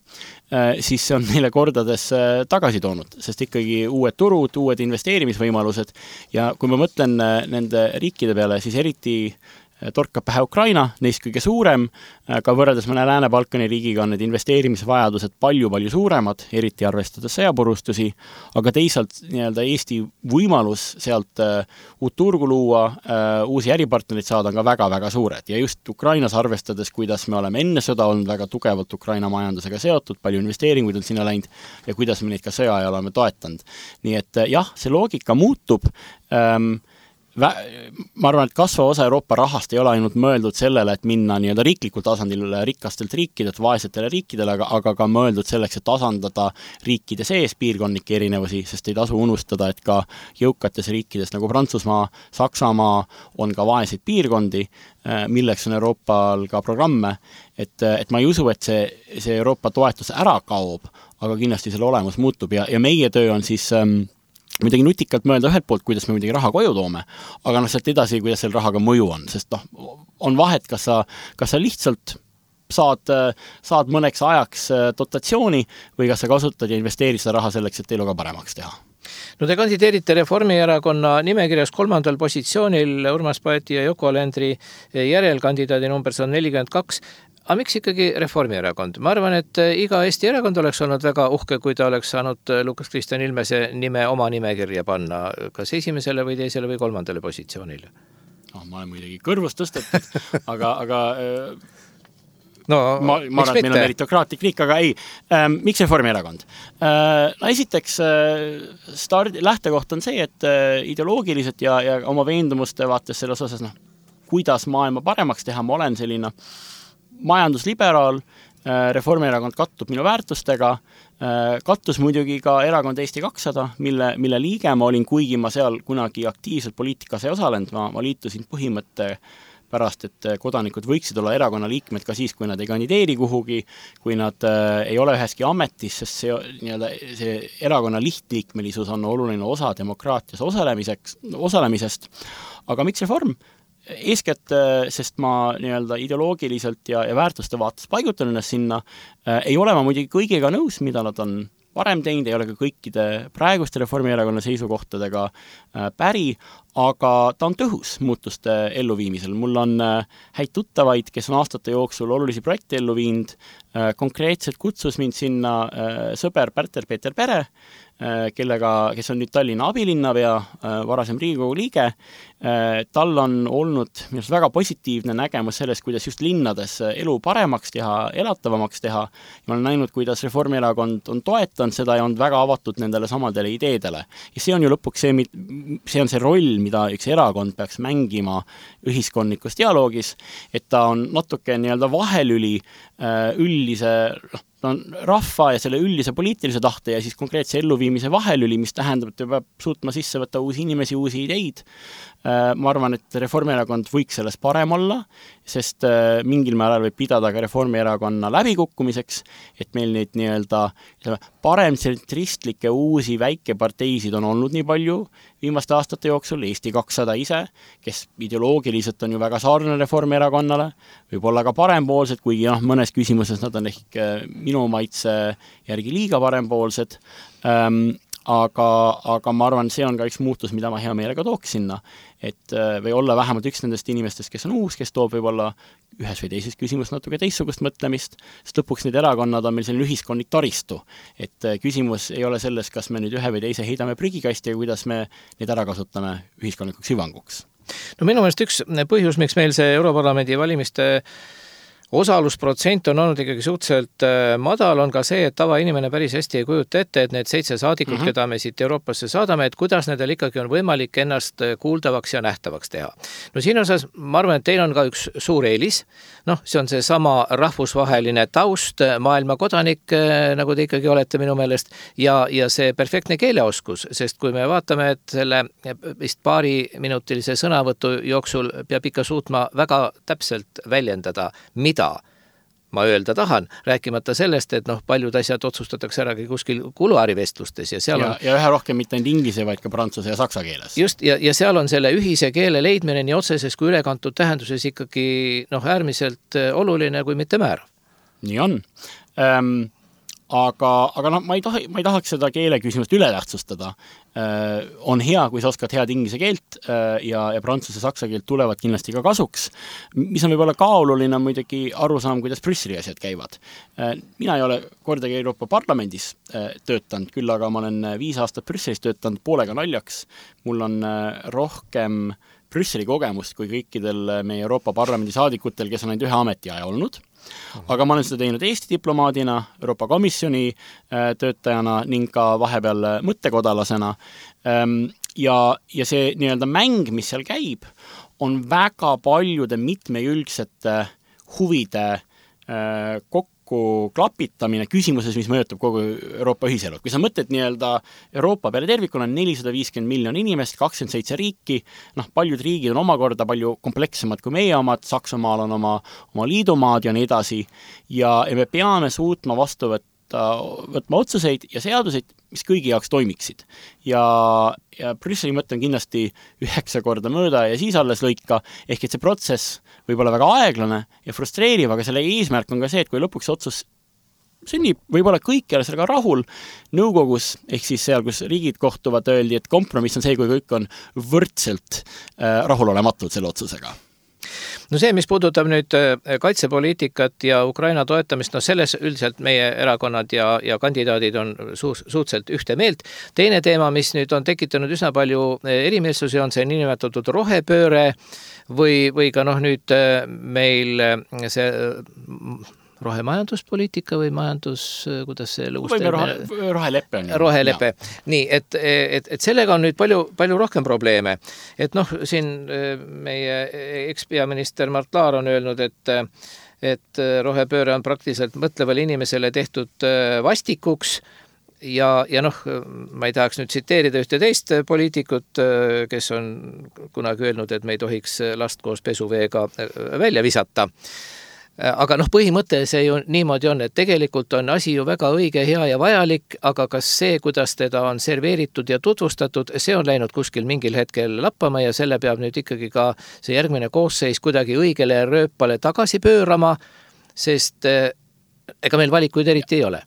siis see on neile kordades tagasi toonud, sest ikkagi uued turud, uued investeerimisvõimalused ja kui ma mõtlen nende riikide peale, siis eriti torkab pähe Ukraina, neist kõige suurem, ka võrreldes mõne Lääne-Balkani riigiga on need investeerimisvajadused palju-palju suuremad, eriti arvestades sõjapurustusi, aga teisalt nii-öelda Eesti võimalus sealt uut turgu luua, uusi äripartnerid saada on ka väga-väga suured ja just Ukrainas arvestades, kuidas me oleme enne sõda olnud väga tugevalt Ukraina majandusega seotud, palju investeeringuid on sinna läinud ja kuidas me neid ka sõja ajal oleme toetanud. Nii et jah, see loogika muutub, ähm, ma arvan, et kasvav osa Euroopa rahast ei ole ainult mõeldud sellele, et minna nii-öelda riiklikul tasandil rikastelt riikidelt vaesetele riikidele, aga, aga ka mõeldud selleks, et tasandada riikide sees piirkondlikke erinevusi, sest ei tasu unustada, et ka jõukates riikides nagu Prantsusmaa, Saksamaa on ka vaeseid piirkondi, milleks on Euroopal ka programme, et, et ma ei usu, et see, see Euroopa toetus ära kaob, aga kindlasti selle olemus muutub ja, ja meie töö on siis ähm, midagi nutikalt mõelda ühelt poolt, kuidas me midagi raha koju toome, aga noh, sealt edasi, kuidas selle rahaga mõju on, sest noh, on vahet, kas sa, kas sa lihtsalt saad, saad mõneks ajaks dotatsiooni või kas sa kasutad ja investeerid seda raha selleks, et elu ka paremaks teha. No te kandideerite Reformierakonna nimekirjas kolmandal positsioonil Urmas Paeti ja Yoko Alendri järelkandidaadi number on nelikümmend kaks. Aga miks ikkagi Reformierakond? Ma arvan, et iga Eesti erakond oleks olnud väga uhke, kui ta oleks saanud Lukas Kristjan Ilmese nime oma nimekirja panna, kas esimesele või teisele või kolmandale positsioonile. No, ma olen muidugi kõrvust tõstetud, aga, aga no, ma, ma arvan, et meil on meritokraatlik riik, aga ei, ähm, miks Reformierakond? Äh, no esiteks äh, start, lähtekoht on see, et äh, ideoloogiliselt ja, ja oma veendumuste vaates selles osas, noh, kuidas maailma paremaks teha, ma olen selline majandusliberaal, Reformierakond kattub minu väärtustega, kattus muidugi ka erakond Eesti kakssada, mille, mille liige ma olin, kuigi ma seal kunagi aktiivselt poliitikas ei osalenud, ma, ma liitusin põhimõtte pärast, et kodanikud võiksid olla erakonna liikmed ka siis, kui nad ei kandideeri kuhugi, kui nad äh, ei ole üheski ametis, sest see, nii-öelda, see erakonna lihtliikmelisus on oluline osa demokraatias osalemiseks, osalemisest. Aga miks reform? Eeskätt, sest ma nii-öelda ideoloogiliselt ja, ja väärtuste vaates paigutan ennast sinna, äh, ei ole ma muidugi kõigega nõus, mida nad on varem teinud, ei ole ka kõikide praeguste Reformierakonna seisukohtadega äh, päri, aga ta on tõhus muutuste elluviimisel. Mul on äh, häid tuttavaid, kes on aastate jooksul olulisi projekte ellu viinud, äh, konkreetselt kutsus mind sinna äh, sõber Pärter-Peeter Pere, äh, kellega, kes on nüüd Tallinna abilinnapea, äh, varasem Riigikogu liige. Äh, tal on olnud minust väga positiivne nägemus sellest, kuidas just linnades elu paremaks teha, elatavamaks teha. Ja ma olen näinud, kuidas Reformierakond on toetanud seda ja on väga avatud nendele samadele ideedele. Ja see on ju lõpuks see, see on see roll, mida üks erakond peaks mängima ühiskondlikus dialoogis, et ta on natuke nii-öelda vahelüli üldise no, rahva ja selle üldise poliitilise tahte ja siis konkreetse elluviimise vahelüli, mis tähendab, et ta peab suutma sisse võtta uusi inimesi, uusi ideid. Ma arvan, et Reformierakond võiks selles parem olla, sest mingil määral võib pidada ka Reformierakonna läbikukkumiseks, et meil neid nii-öelda paremtsentristlikke uusi väikeparteisid on olnud nii palju viimaste aastate jooksul, Eesti kakssada ise, kes ideoloogiliselt on ju väga sarnane Reformierakonnale, võib olla ka parempoolsed, kuigi noh, mõnes küsimuses nad on ehk minu maitse järgi liiga parempoolsed, ähm, aga, aga ma arvan, see on ka üks muutus, mida ma hea meelega tooks sinna, et või olla vähemalt üks nendest inimestest, kes on uus, kes toob võib-olla ühes või teises küsimus natuke teistsugust mõtlemist, sest lõpuks need erakonnad on meil selline ühiskondlik taristu, et küsimus ei ole selles, kas me nüüd ühe või teise heidame prügikasti ja kuidas me neid ära kasutame ühiskondlikuks hüvanguks. No minu meelest üks põhjus, miks meil see Europarlamendi valimiste osalusprotsent on olnud ikkagi suhteliselt madal, on ka see, et tavainimene päris hästi ei kujuta ette, et need seitse saadikut, mm-hmm. keda me siit Euroopasse saadame, et kuidas nendel ikkagi on võimalik ennast kuuldavaks ja nähtavaks teha. No siin osas, ma arvan, et teil on ka üks suur eelis, noh, see on see sama rahvusvaheline taust, maailma kodanik, nagu te ikkagi olete minu meelest, ja, ja see perfektne keeleoskus, sest kui me vaatame, et selle vist paari minutilise sõnavõtu jooksul peab ikka suutma väga täpselt väljendada, mida ma öelda tahan, rääkimata sellest, et noh, paljud asjad otsustatakse ära kuskil kuluaarivestlustes ja seal ja, on... Ja ühe rohkem mitte ainult inglise, vaid ka prantsuse ja saksa keeles. Just, ja, ja seal on selle ühise keele leidmine nii otseses kui ülekantud tähenduses ikkagi noh, äärmiselt oluline kui mitte määrav. Nii on. Ähm, aga, aga noh, ma ei, taha, ma ei tahaks seda keele küsimust üle tähtsustada. Äh, on hea, kui sa oskad head inglise keelt äh, ja, ja prantsuse saksa keelt tulevad kindlasti ka kasuks. Mis on võib-olla ka oluline muidugi aru saama, kuidas Brüsseli asjad käivad. Äh, mina ei ole kordagi Euroopa Parlamendis äh, töötanud, küll aga ma olen viis aastat Brüsselis töötanud poolega naljaks. Mul on äh, rohkem Brüsseli kogemust kui kõikidel meie Euroopa Parlamendi saadikutel, kes on ainult ühe ametiaja olnud. Aga ma olen seda teinud Eesti diplomaadina, Euroopa Komisjoni töötajana ning ka vahepeal mõttekodalasena. ja, ja see nii-öelda mäng, mis seal käib, on väga paljude mitmejülgsete huvide äh, kokku klapitamine küsimuses, mis mõjutab kogu Euroopa ühiselu. Kui sa mõtled nii-öelda Euroopa peale tervikuna on nelisada viiskümmend miljon inimest, kakskümmend seitse riiki, noh, paljud riigid on omakorda palju komplekssemad kui meie omad, Saksamaal on oma, oma liidumaad ja nii edasi, ja, ja me peame suutma vastu võtta, võtma otsuseid ja seaduseid, mis kõigi jaoks toimiksid. Ja, ja Brüsseli mõte on kindlasti üheksa korda mööda ja siis alles lõika, ehk et see protsess võib olla väga aeglane ja frustreeriv, aga selle eesmärk on ka see, et kui lõpuks otsus sünnib, võib-olla kõik ei ole sellega rahul nõukogus, ehk siis seal, kus riigid kohtuvad, öeldi, et kompromiss on see, kui kõik on võrdselt äh, rahulolematud selle otsusega. No see, mis puudutab nüüd kaitsepoliitikat ja Ukraina toetamist, no selles üldiselt meie erakonnad ja, ja kandidaadid on su- suhteliselt ühte meelt. Teine teema, mis nüüd on tekitanud üsna palju erimeelsusi, on see niinimetatud rohepööre või, või ka noh nüüd meil see rohemajanduspoliitika või majandus, kuidas see lõus või rohe, rohelepe on. Rohelepe. Nii, et, et, et sellega on nüüd palju, palju rohkem probleeme. Et noh, siin meie ekspeaminister Mart Laar on öelnud, et, et rohepööre on praktiliselt mõtlevale inimesele tehtud vastikuks ja, ja noh, ma ei tahaks nüüd tsiteerida ühte teist poliitikut, kes on kunagi öelnud, et me ei tohiks last koos pesuveega välja visata. Aga noh, põhimõte see ju niimoodi on, et tegelikult on asi ju väga õige, hea ja vajalik, aga kas see, kuidas teda on serveeritud ja tutvustatud, see on läinud kuskil mingil hetkel lappama ja selle peab nüüd ikkagi ka see järgmine koosseis kuidagi õigele rööpale tagasi pöörama, sest ega meil valikuid eriti ei ole.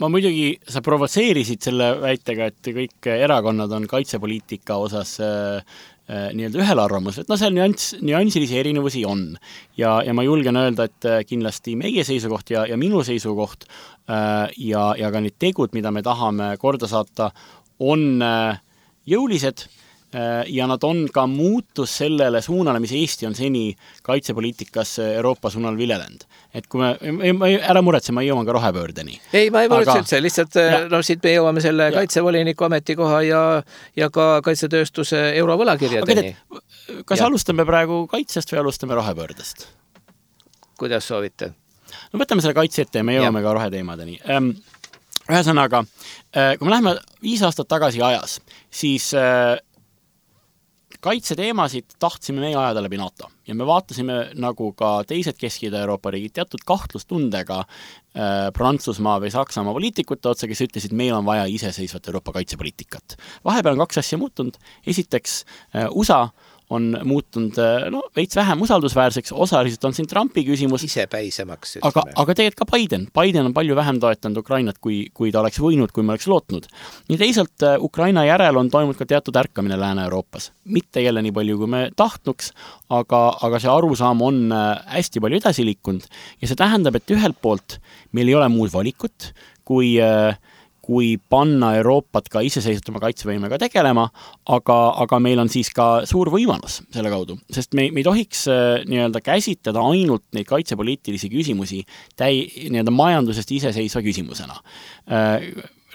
Ma muidugi, sa provotseerisid selle väitega, et kõik erakonnad on kaitsepoliitika osas äh, nii-öelda ühel arvamus, et no seal nüanss, nüansilisi erinevusi on. Ja, ja ma julgen öelda, et kindlasti meie seisukoht ja, ja minu seisukoht äh, ja, ja ka need tegud, mida me tahame korda saata, on äh, jõulised äh, ja nad on ka muutus sellele suunale, mis Eesti on seni kaitsepoliitikas Euroopa suunal viljelenud. Et kui me, ma, ära muretse, ma jõuan ka rohepöördeni. Ei, ma ei muretse üldse, lihtsalt ja. No siit me jõuame selle ja. Kaitsevoliniku ametikoha ja, ja ka kaitsetööstuse eurovõlakirjadeni. Kas ja. Alustame praegu kaitsest või alustame rohepöördest? Kuidas soovite? No võtame selle kaitse ette ja me jõuame ja. Ka roheteemadeni. Ühesõnaga, kui me läheme viis aastat tagasi ajas, siis kaitseteemasid tahtsime meie ajada läbi NATO ja me vaatasime nagu ka teised Kesk-Ida Euroopa riigid teatud kahtlustundega äh, Prantsusmaa või Saksamaa poliitikute otsa, kes ütlesid, meil on vaja iseseisvat Euroopa kaitsepoliitikat. Vahepeal on kaks asja muutunud. Esiteks äh, U S A on muutunud no, veits vähem usaldusväärseks, osaliselt on siin Trumpi küsimus. Isepäisemaks. Aga, aga tegelikult ka Biden. Biden on palju vähem toetanud Ukrainat, kui, kui ta oleks võinud, kui me oleks lootnud. Nii teisalt Ukraina järel on toimunud ka teatud ärkamine Lääne-Euroopas. Mitte jälle nii palju, kui me tahtnuks, aga, aga see arusaam on hästi palju edasi liikunud. Ja see tähendab, et ühelt poolt meil ei ole muud valikut, kui kui panna Euroopat ka iseseisvutama kaitsevõimega tegelema, aga, aga meil on siis ka suur võimalus selle kaudu, sest me, me ei tohiks nii-öelda käsitleda ainult neid kaitsepoliitilisi küsimusi täi, nii-öelda majandusest iseseisva küsimusena.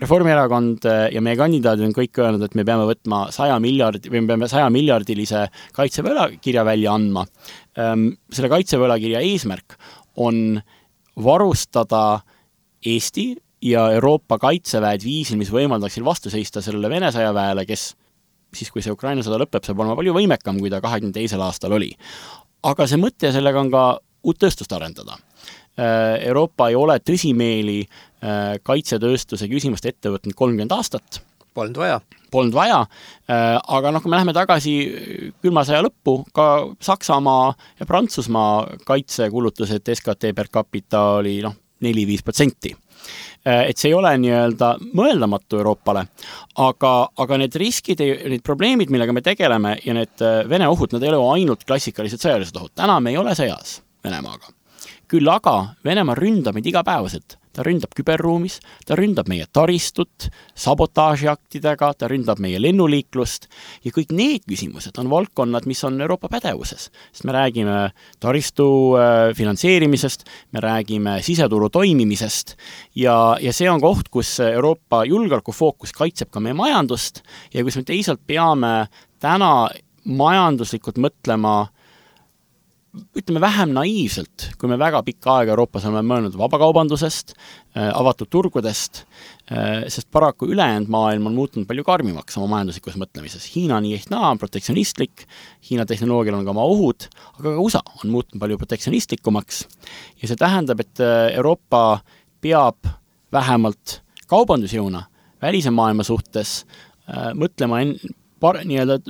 Reformierakond ja meie kandidaadid on kõik öelnud, et me peame võtma saja miljardi, või me peame saja miljardilise kaitsevõlakirja välja andma. Selle kaitsevõlakirja eesmärk on varustada Eesti ja Euroopa kaitseväed viisil, mis võimaldaksil vastu seista sellele Vene sõjaväele, kes siis, kui see Ukraina sõda lõpeb, saab olema palju võimekam, kui ta kahekümne teisel aastal oli. Aga see mõte sellega on ka uut tööstust arendada. Euroopa ei ole tõsimeeli kaitsetööstuse küsimust ette võtnud kolmkümmend aastat. Polnud vaja. Polnud vaja, aga noh, kui me läheme tagasi külma sõja lõppu, ka Saksamaa ja Prantsusmaa kaitsekulutused S K T per capita oli noh, neli viis protsenti. Et see ei ole nii-öelda mõeldamatu Euroopale, aga, aga need riskid, need probleemid, millega me tegeleme ja need Vene ohud, nad ei ole ainult klassikalised sõjalised ohud. Täna me ei ole sõjas Venemaaga. Küll aga Venemaa ründab meid igapäevaselt. ta ründab küberruumis, ta ründab meie taristut sabotaažiaktidega, ta ründab meie lennuliiklust ja kõik need küsimused on valdkonnad, mis on Euroopa pädevuses. Sest me räägime taristu finantseerimisest, me räägime siseturu toimimisest ja, ja see on koht, kus Euroopa julgeolekufookus kaitseb ka meie majandust ja kus me teisalt peame täna majanduslikult mõtlema ütleme vähem naiivselt, kui me väga pikka aega Euroopas oleme mõelnud vabakaubandusest, avatud turgudest, sest paraku ülejäänud maailm on muutunud palju karmimaks oma majanduslikus mõtlemises. Hiina nii ehk naa on protektsionistlik, Hiina tehnoloogial on ka oma ohud, aga ka U S A on muutunud palju protektsionistlikumaks ja see tähendab, et Euroopa peab vähemalt kaubandusjõuna välise maailma suhtes mõtlema en, par, nii-öelda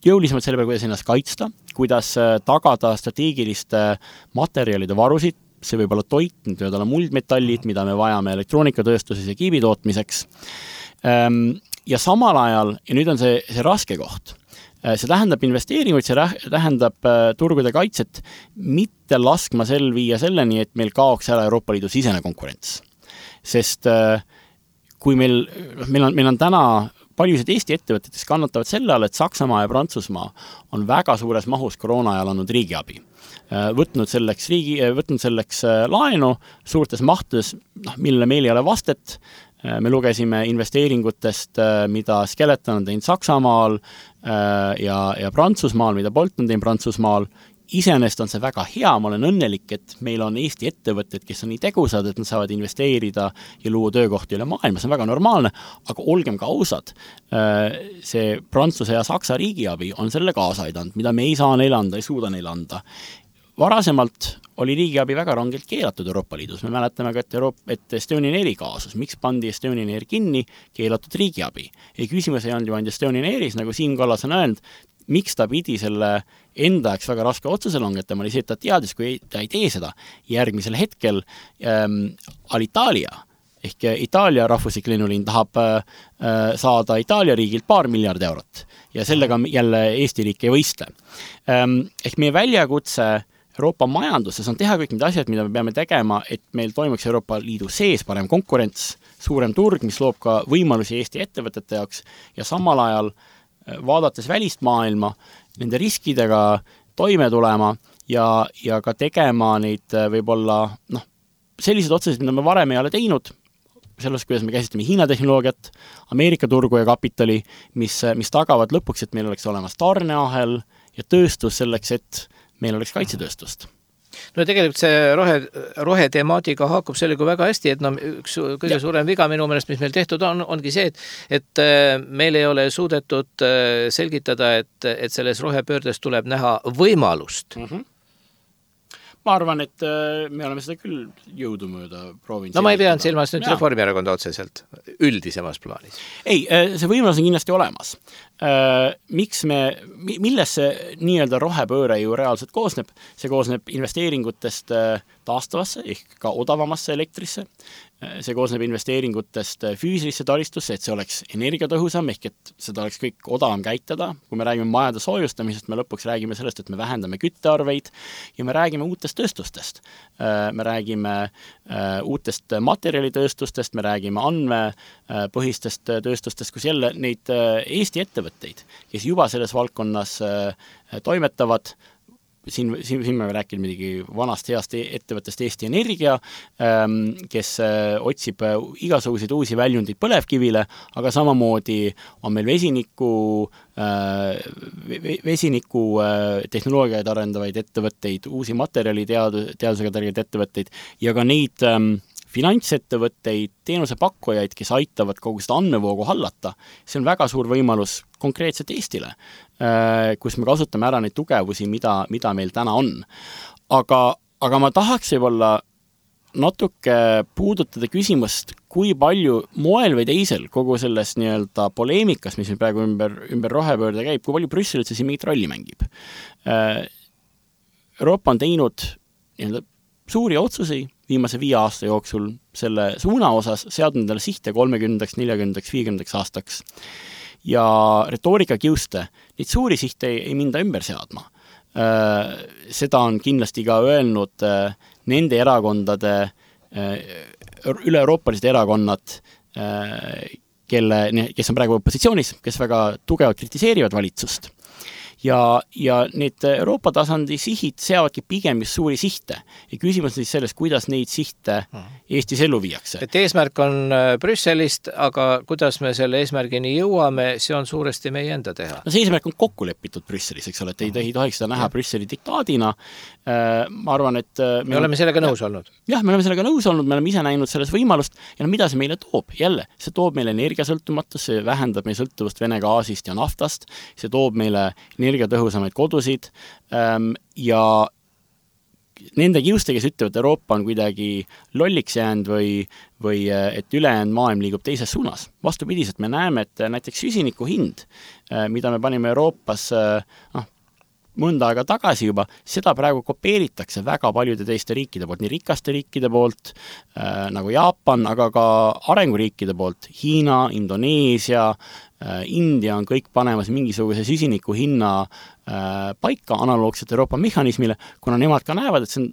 jõulisemalt selle peale, kuidas ennast kaitsta, kuidas tagada strateegiliste materjalide varusid, see võib olla toit, need võivad olla muldmetallid, mida me vajame elektroonikatööstuses ja kiibi tootmiseks. Ja samal ajal, ja nüüd on see, see raske koht, see tähendab investeeringuid, see tähendab turgude kaitset, mitte laskma sel viia selleni, et meil kaoks ära Euroopa Liidu sisene konkurents. Sest kui meil, meil on, meil on täna paljusid Eesti ettevõtetes kannatavad selle all, et Saksamaa ja Prantsusmaa on väga suures mahus koroona ajal andnud riigiabi. Võtnud selleks, riigi, võtnud selleks laenu suurtes mahtudes, noh, millele meil ei ole vastet. Me lugesime investeeringutest, mida Skeleton on teinud Saksamaal ja, ja Prantsusmaal, mida Bolt on teinud Prantsusmaal. Iseenesest on see väga hea, ma olen õnnelik, et meil on Eesti ettevõtted, kes on nii tegusad, et nad saavad investeerida ja luua töökohti üle maailma, see on väga normaalne, aga olgem ka ausad, see Prantsuse ja Saksa riigiabi on selle kaasa aidanud, mida me ei saa neile anda, ei suuda neile anda. Varasemalt oli riigiabi väga rangelt keelatud Euroopa Liidus, me mäletame ka, et, Euroopa, et Estonian Airi kaasus, miks pandi Estonian Air kinni, keelatud riigiabi. Ja küsimus ei olnud ju ainult Estonian Airis, nagu Siim Kallas on öelnud, miks ta pidi selle enda jaoks väga raske otsuse langetama, oli see, et ta teadis, kui ta ei tee seda. Järgmisel hetkel ähm, Alitalia ehk Itaalia rahvuslik lennuliin tahab äh, saada Itaalia riigilt paar miljard eurot ja sellega jälle Eesti riik ei võistle. Ähm, ehk meie väljakutse Euroopa majanduses on teha kõik need asjad, mida me peame tegema, et meil toimuks Euroopa Liidu sees parem konkurents, suurem turg, mis loob ka võimalusi Eesti ettevõtete jaoks ja samal ajal vaadates välist maailma, nende riskidega toime tulema ja, ja ka tegema neid võib-olla noh, sellised otsused, mida me varem ei ole teinud, selles, kuidas me käsitleme Hiina tehnoloogiat, Ameerika turgu ja kapitali, mis, mis tagavad lõpuks, et meil oleks olemas tarneahel ja tööstus selleks, et meil oleks kaitsetööstust. No tegelikult see rohe, rohe temaatiga haakub sellega väga hästi, et no üks kõige ja. suurem viga minu meelest, mis meil tehtud on, ongi see, et, et meil ei ole suudetud selgitada, et, et selles rohepöördes tuleb näha võimalust. Mm-hmm. Ma arvan, et me oleme seda küll jõudu mööda proovinud. No ma ei peanud silmas nüüd Reformierakonda otseselt üldisemas plaanis. Ei, see võimalus on kindlasti olemas. Miks me, milles see nii-öelda rohepööre ju reaalselt koosneb? See koosneb investeeringutest taastavasse ehk ka odavamasse elektrisse. See koosneb investeeringutest füüsilisse taristusse, et see oleks energiatõhusam ehk et seda oleks kõik odavam käitada. Kui me räägime majade soojustamisest, me lõpuks räägime sellest, et me vähendame küttearveid ja me räägime uutest tööstustest. Me räägime uutest materjalitööstustest, me räägime andmepõhistest tööstustest, kus jälle neid Eesti ettevõtteid, kes juba selles valdkonnas toimetavad. Siin, siin, siin me räägime midagi vanast heast ettevõttest Eesti Energia, kes otsib igasuguseid uusi väljundeid põlevkivile, aga samamoodi on meil vesiniku, vesiniku tehnoloogiaid arendavaid ettevõtteid, uusi materjali teadu, teadusega tärgeid ettevõtteid ja ka neid finantsettevõtteid, teenusepakkujaid, kes aitavad kogu seda andmevoogu hallata. See on väga suur võimalus konkreetselt Eestile, kus me kasutame ära neid tugevusi, mida, mida meil täna on. Aga, aga ma tahaks võib-olla natuke puudutada küsimust, kui palju moel või teisel kogu selles nii-öelda poleemikas, mis meil praegu ümber, ümber rohepöörde käib, kui palju Brüssel üldse siin mingit rolli mängib. Euroopa on teinud nii-öelda suuri otsusi viimase viie aasta jooksul selle suuna osas, seadnud endale sihte kolmekümnendaks, neljakümnendaks, viiekümnendaks aastaks. Ja retoorika kiuste, neid suuri sihte ei, ei minda ümber seadma. Seda on kindlasti ka öelnud nende erakondade üle-euroopalised erakonnad, kelle, kes on praegu opositsioonis, kes väga tugevalt kritiseerivad valitsust. Ja, ja need Euroopa tasandi sihid seavadki pigem just suuri sihte. Ja küsimus on siis selles, kuidas neid sihte Eestis ellu viiakse. Et eesmärk on Brüsselist, aga kuidas me selle eesmärgini jõuame, see on suuresti meie enda teha. No see eesmärk on kokku lepitud Brüsselis, eks ole, et ei, ei tohiks seda näha ja. Brüsseli diktaadina. Ma arvan, et... Me, me oleme sellega nõus olnud. Jah, me oleme sellega nõus olnud, me oleme ise näinud selles võimalust ja no, mida see meile toob? Jälle, see toob meile energiasõltumatus, see vähendab meie sõltuvust Vene gaasist ja naftast, see toob meile energiatõhusamaid kodusid ja nende kiuste, kes ütlevad, et Euroopa on kuidagi lolliks jäänud või, või et ülejäänud maailm liigub teises suunas. Vastupidiselt me näeme, et näiteks süsiniku hind, mida me panime Euroopas noh, mõnda aega tagasi juba, seda praegu kopeeritakse väga paljude teiste riikide poolt, nii rikaste riikide poolt äh, nagu Jaapan, aga ka arenguriikide poolt, Hiina, Indoneesia, äh, India on kõik panemas mingisuguse süsiniku hinna äh, paika analoogselt Euroopa mehhanismile, kuna nemad ka näevad, et see on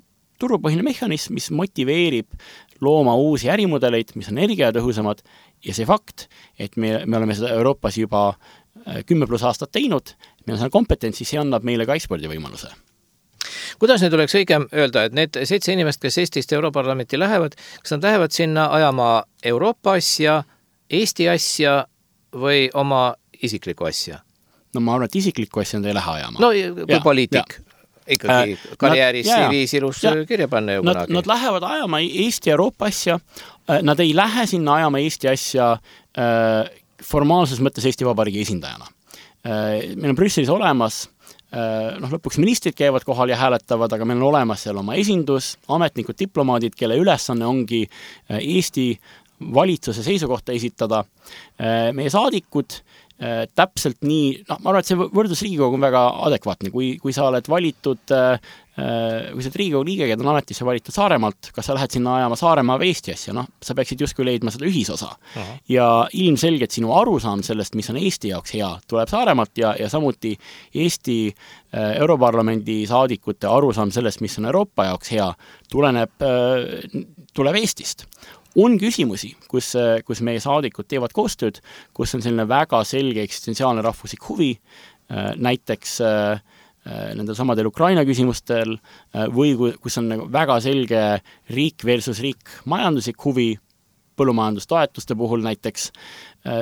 turupõhine mehhanism, mis motiveerib looma uusi ärimudeleid, mis on energiatõhusamad ja see fakt, et me, me oleme seda Euroopas juba kümme pluss aastat teinud, meil on seal kompetentsi, see annab meile ka ekspordi võimaluse. Kuidas nüüd oleks õigem öelda, et need seitse inimest, kes Eestist Europarlamenti lähevad, kas nad lähevad sinna ajama Euroopa asja, Eesti asja või oma isiklikku asja? No ma arvan, et isiklikku asja nad ei lähe ajama. No kui ja, poliitik. Ja. Ikkagi äh, karjääris C V-s ilus kirja panna ju nad, nad lähevad ajama Eesti Euroopa asja, nad ei lähe sinna ajama Eesti asja äh, formaalses mõttes Eesti Vabariigi esindajana. Meil on Brüsselis olemas, noh, lõpuks ministrid käivad kohal ja hääletavad, aga meil on olemas seal oma esindus, ametnikud, diplomaadid, kelle ülesanne ongi Eesti valitsuse seisukohta esitada. Meie saadikud täpselt nii, noh, ma arvan, et see võrdlus Riigikogu on väga adekvaatne, kui, kui sa oled valitud, kui sa oled Riigikogu liige, keda on ametisse valitud Saaremaalt, kas sa lähed sinna ajama Saaremaa või Eesti asja, noh, sa peaksid justkui leidma seda ühisosa. Aha. Ja ilmselgelt sinu arusaam sellest, mis on Eesti jaoks hea, tuleb Saaremaalt ja, ja samuti Eesti Europarlamendi saadikute arusaam sellest, mis on Euroopa jaoks hea, tuleneb, tuleb Eestist. On küsimusi, kus, kus meie saadikud teevad koostööd, kus on selline väga selge eksistentsiaalne rahvuslik huvi, näiteks nendel samadel Ukraina küsimustel või kus on väga selge riik versus riik majanduslik huvi, põllumajandustoetuste puhul näiteks.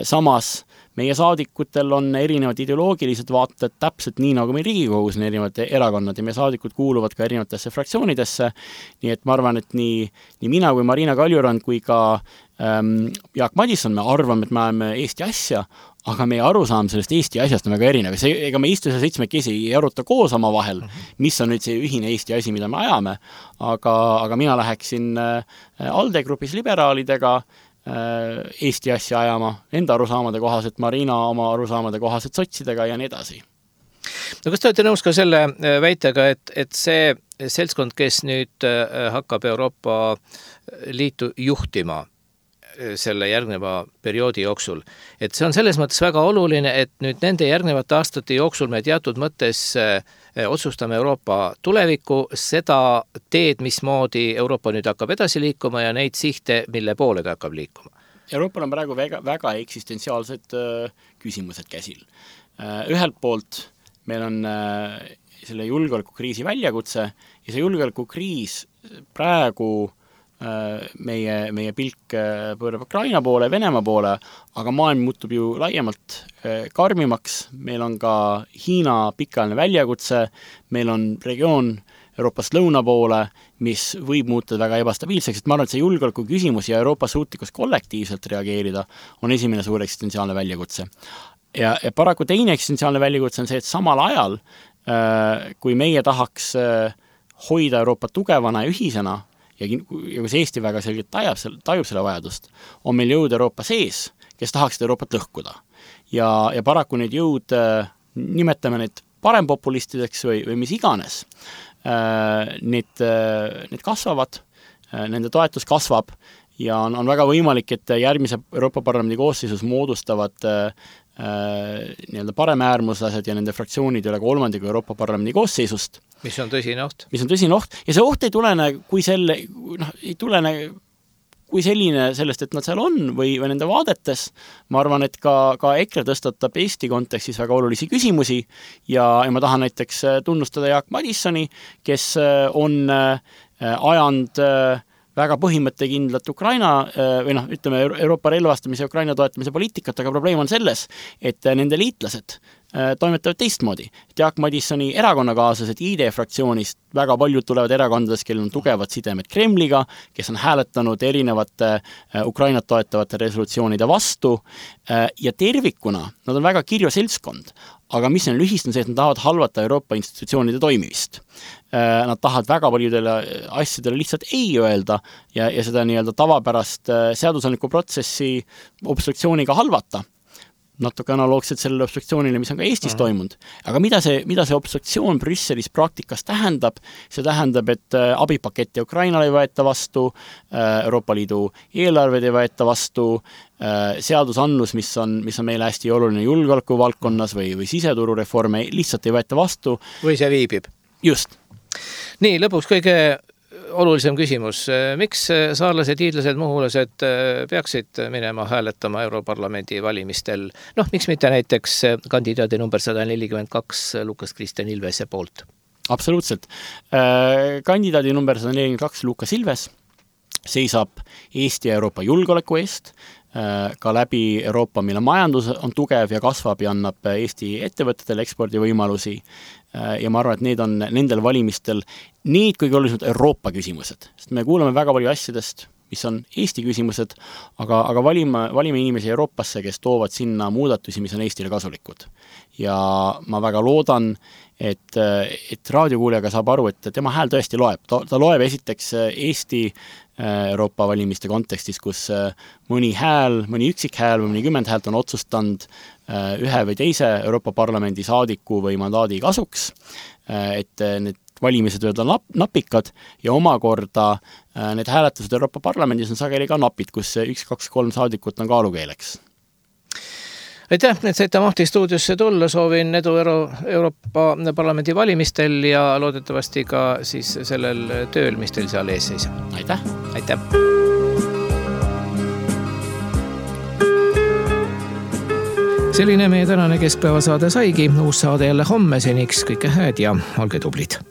Samas meie saadikutel on erinevad ideoloogilised vaated täpselt nii, nagu meil Riigikogus on erinevad erakonnad ja meie saadikud kuuluvad ka erinevatesse fraktsioonidesse. Nii et ma arvan, et nii, nii mina kui Marina Kaljurand kui ka ähm, Jaak Madisson me arvame, et me oleme Eesti asja, aga meie arusaam sellest Eesti asjast on väga erinev. See, ega me istu seal seitsmekesi ei aruta koos oma vahel, mis on nüüd see ühine Eesti asi, mida me ajame, aga, aga mina läheksin ALDE grupis liberaalidega Eesti asja ajama, enda arusaamade kohaselt, Marina oma arusaamade kohaselt sotsidega ja nii edasi. No kas te olete nõus ka selle väitega, et, et see seltskond, kes nüüd hakkab Euroopa Liitu juhtima selle järgneva perioodi jooksul, et see on selles mõttes väga oluline, et nüüd nende järgnevate aastate jooksul me teatud mõttes otsustame Euroopa tulevikku, seda teed, mismoodi Euroopa nüüd hakkab edasi liikuma ja neid sihte, mille poole ta hakkab liikuma. Euroopal on praegu väga, väga eksistentsiaalsed küsimused käsil. Ühelt poolt meil on selle julgeolekukriisi väljakutse ja see julgeolekukriis praegu meie, meie pilk pöörab Ukraina poole, Venemaa poole, aga maailm muutub ju laiemalt karmimaks, meil on ka Hiina pikaajaline väljakutse, meil on regioon Euroopast lõuna poole, mis võib muuta väga ebastabiilseks, et ma arvan, et see julgeoleku küsimus ja Euroopa suutlikkus kollektiivselt reageerida on esimene suur eksistentsiaalne väljakutse. Ja, ja paraku teine eksistentsiaalne väljakutse on see, et samal ajal, kui meie tahaks hoida Euroopa tugevana ja ühisena, ja kus Eesti väga selgelt tajub, tajub selle vajadust, on meil jõud Euroopa sees, kes tahaksid Euroopat lõhkuda. Ja, ja paraku need jõud, nimetame need parempopulistideks või, või mis iganes, need, need kasvavad, nende toetus kasvab ja on, on väga võimalik, et järgmise Euroopa Parlamendi koosseisus moodustavad nii-öelda paremäärmuslased ja nende fraktsioonid üle kolmandiku Euroopa Parlamendi koosseisust. Mis on tõsine oht. Mis on tõsine oht ja see oht ei tulene, kui selle, noh, ei tulene kui selline sellest, et nad seal on või, või nende vaadetes, ma arvan, et ka, ka EKRE tõstatab Eesti kontekstis väga olulisi küsimusi ja, ja ma tahan näiteks tunnustada Jaak Madissoni, kes on ajanud väga põhimõttekindlat Ukraina või noh, ütleme Euroopa relvastamise ja Ukraina toetamise poliitikat, aga probleem on selles, et nende liitlased toimetavad teistmoodi. Jaak Madissoni erakonnakaaslased I D fraktsioonist, väga paljud tulevad erakondadest, kellel on tugevad sidemed Kremliga, kes on hääletanud erinevate Ukrainat toetavate resolutsioonide vastu ja tervikuna nad on väga kirju seltskond. Aga mis on lühist on see, et nad tahavad halvata Euroopa institutsioonide toimimist. Nad tahavad väga paljudele asjadele lihtsalt ei öelda ja, ja seda nii-öelda tavapärast seadusandliku protsessi obstruktsiooniga halvata. Natuke analoogselt sellele obstruktsioonile, mis on ka Eestis uh-huh. toimunud. Aga mida see, mida see obstruktsioon Brüsselis praktikas tähendab? See tähendab, et abipaketti Ukrainale ei võeta vastu, Euroopa Liidu eelarved ei võeta vastu, seadusannus, mis on, mis on meile hästi oluline julgeoleku valdkonnas või, või siseturureforme, lihtsalt ei võeta vastu. Või see viibib. Just. Nii, lõpuks kõige olulisem küsimus. Miks saarlased, hiidlased, muhulased peaksid minema hääletama Europarlamendi valimistel? Noh, miks mitte näiteks kandidaadi number sada nelikümmend kaks Lukas Kristjan Ilvese poolt? Absoluutselt. Kandidaadi number sada nelikümmend kaks Lukas Ilves seisab Eesti ja Euroopa julgeoleku eest, ka läbi Euroopa, mille majandus on tugev ja kasvab ja annab Eesti ettevõtetele ekspordivõimalusi. Ja ma arvan, et need on nendel valimistel need kõige olulisemad Euroopa küsimused. Sest me kuuleme väga palju asjadest, mis on Eesti küsimused, aga, aga valime, valime inimesi Euroopasse, kes toovad sinna muudatusi, mis on Eestile kasulikud. Ja ma väga loodan, et, et raadiokuulejaga saab aru, et tema hääl tõesti loeb. Ta, ta loeb esiteks Eesti Euroopa valimiste kontekstis, kus mõni hääl, mõni üksik hääl või mõni kümmend häält on otsustanud ühe või teise Euroopa Parlamendi saadiku või mandaadi kasuks, et need valimised võivad olla napikad ja omakorda need hääletused Euroopa Parlamendis on sageli ka napid, kus üks, kaks, kolm saadikut on kaalukeeleks. Aitäh, et saite Mahti stuudiosse tulla, soovin edu Euro Euroopa Parlamendi valimistel ja loodetavasti ka siis sellel tööl, mis teil seal ees seisab. Aitäh! Aitäh! Selline meie tänane keskpäevasaade saigi, uus saade jälle homme, seniks kõike hääd ja olge tublid!